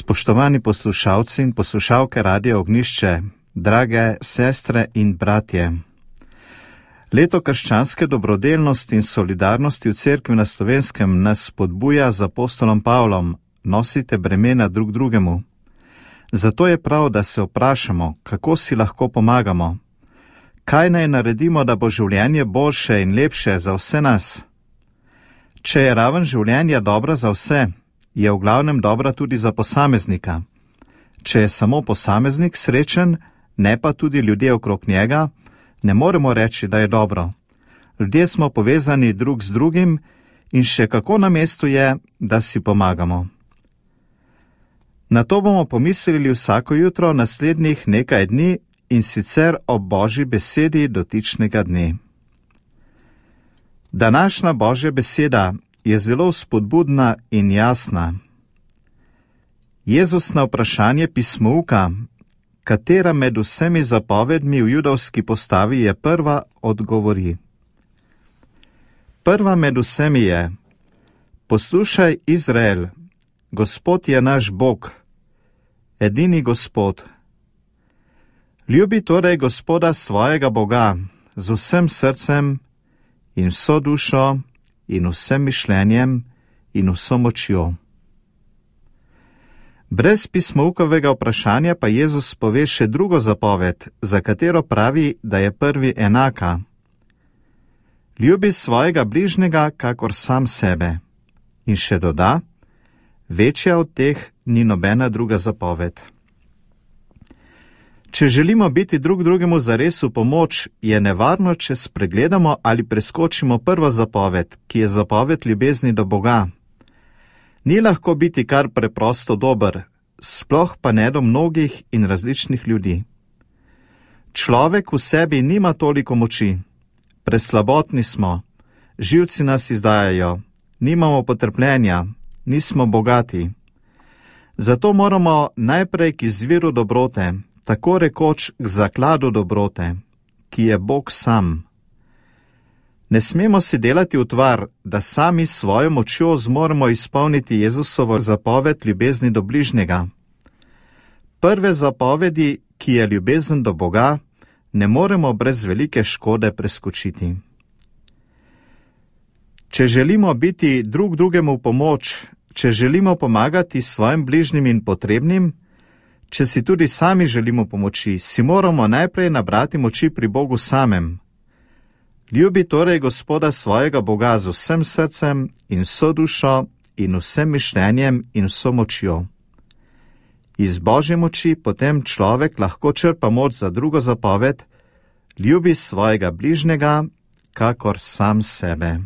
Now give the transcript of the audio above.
Spoštovani poslušalci in poslušalke Radia Ognjišče, drage sestre in bratje. Leto krščanske dobrodelnosti in solidarnosti v Cerkvi na Slovenskem nas spodbuja z apostolom Pavlom: nosite bremena drug drugemu. Zato je prav, da se vprašamo, kako si lahko pomagamo. Kaj naj naredimo, da bo življenje boljše in lepše za vse nas? Če je raven življenja dobra za vse, je v glavnem dobra tudi za posameznika. Če je samo posameznik srečen, ne pa tudi ljudje okrog njega, ne moremo reči, da je dobro. Ljudje smo povezani drug z drugim in še kako na mestu je, da si pomagamo. Na to bomo pomislili vsako jutro naslednjih nekaj dni, in sicer ob Božji besedi dotičnega dne. Današnja Božja beseda je zelo spodbudna in jasna. Jezus na vprašanje pismouka, katera med vsemi zapovedmi v judovski postavi je prva, odgovori. Prva med vsemi je: poslušaj, Izrael, Gospod je naš Bog, edini Gospod. Ljubi torej Gospoda svojega Boga z vsem srcem in vso dušo in vsem mišljenjem in vso močjo. Brez pismoukovega vprašanja pa Jezus pove še drugo zapoved, za katero pravi, da je prvi enaka. Ljubi svojega bližnjega kakor sam sebe. In še doda, večja od teh ni nobena druga zapoved. Če želimo biti drug drugemu zares v pomoč, je nevarno, če spregledamo ali preskočimo prvo zapoved, ki je zapoved ljubezni do Boga. Ni lahko biti kar preprosto dober, sploh pa ne do mnogih in različnih ljudi. Človek v sebi nima toliko moči. Preslabotni smo, živci nas izdajajo, nimamo potrpljenja, nismo bogati. Zato moramo najprej k izviru dobrote, tako rekoč k zakladu dobrote, ki je Bog sam. Ne smemo si delati utvar, da sami svojo močjo zmoremo izpolniti Jezusovo zapoved ljubezni do bližnjega. Prve zapovedi, ki je ljubezen do Boga, ne moremo brez velike škode preskočiti. Če želimo biti drug drugemu v pomoč, če želimo pomagati svojim bližnjim in potrebnim, če si tudi sami želimo pomoči, si moramo najprej nabrati moči pri Bogu samem. Ljubi torej Gospoda svojega Boga z vsem srcem in vso dušo in vsem mišljenjem in vso močjo. Iz Božje moči potem človek lahko črpa moč za drugo zapoved: ljubi svojega bližnjega kakor sam sebe.